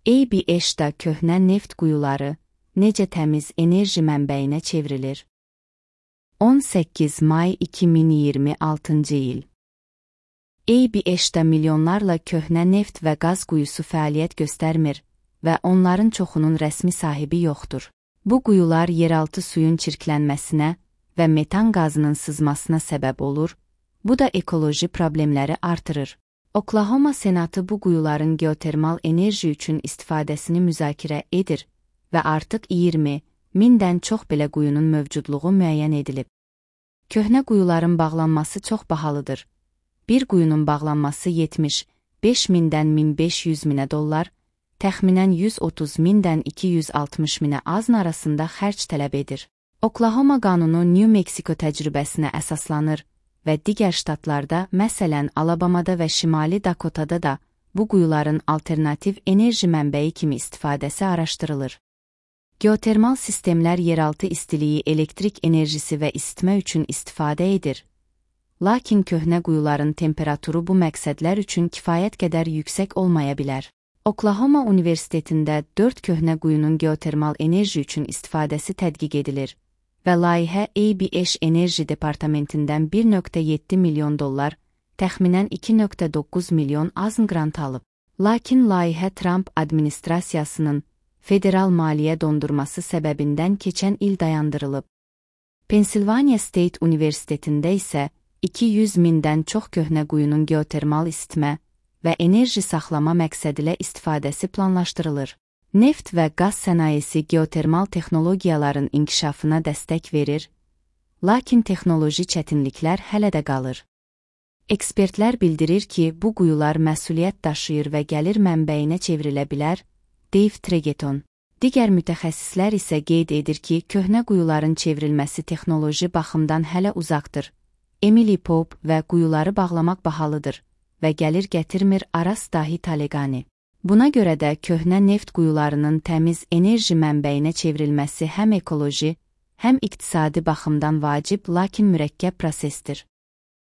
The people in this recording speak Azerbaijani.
ABS-da köhnə neft quyuları necə təmiz enerji mənbəyinə çevrilir? 18 may 2026-cı il. ABS-da milyonlarla köhnə neft və qaz quyusu fəaliyyət göstərmir və onların çoxunun rəsmi sahibi yoxdur. Bu quyular yeraltı suyun çirklənməsinə və metan qazının sızmasına səbəb olur, bu da ekoloji problemləri artırır. Oklahoma Senatı bu quyuların geotermal enerji üçün istifadəsini müzakirə edir və artıq 20.000-dən çox belə quyunun mövcudluğu müəyyən edilib. Köhnə quyuların bağlanması çox bahalıdır. Bir quyunun bağlanması 75.000-dən 1.500.000 dollar, təxminən 130.000-dən 260.000 azn arasında xərc tələb edir. Oklahoma qanunu New Mexico təcrübəsinə əsaslanır və digər ştatlarda, məsələn Alabamada və Şimali Dakotada da bu quyuların alternativ enerji mənbəyi kimi istifadəsi araşdırılır. Geotermal sistemlər yeraltı istiliyi, elektrik enerjisi və isitmə üçün istifadə edir. Lakin köhnə quyuların temperaturu bu məqsədlər üçün kifayət qədər yüksək olmaya bilər. Oklahoma Universitetində 4 köhnə quyunun geotermal enerji üçün istifadəsi tədqiq edilir və layihə ABS Enerji Departamentindən 1.7 milyon dollar, təxminən 2.9 milyon azn qrant alıb. Lakin layihə Trump administrasiyasının federal maliyyə dondurması səbəbindən keçən il dayandırılıb. Pensilvaniya State Universitetində isə 200.000-dən çox köhnə quyunun geotermal isitmə və enerji saxlama məqsədilə istifadəsi planlaşdırılır. Neft və qaz sənayesi geotermal texnologiyaların inkişafına dəstək verir, lakin texnoloji çətinliklər hələ də qalır. Ekspertlər bildirir ki, bu quyular məsuliyyət daşıyır və gəlir mənbəyinə çevrilə bilər, Dave Tregeton. Digər mütəxəssislər isə qeyd edir ki, köhnə quyuların çevrilməsi texnoloji baxımdan hələ uzaqdır. Emily Pope və quyuları bağlamaq bahalıdır və gəlir gətirmir Aras Dahi Talegani. Buna görə də köhnə neft quyularının təmiz enerji mənbəyinə çevrilməsi həm ekoloji, həm iqtisadi baxımdan vacib, lakin mürəkkəb prosesdir.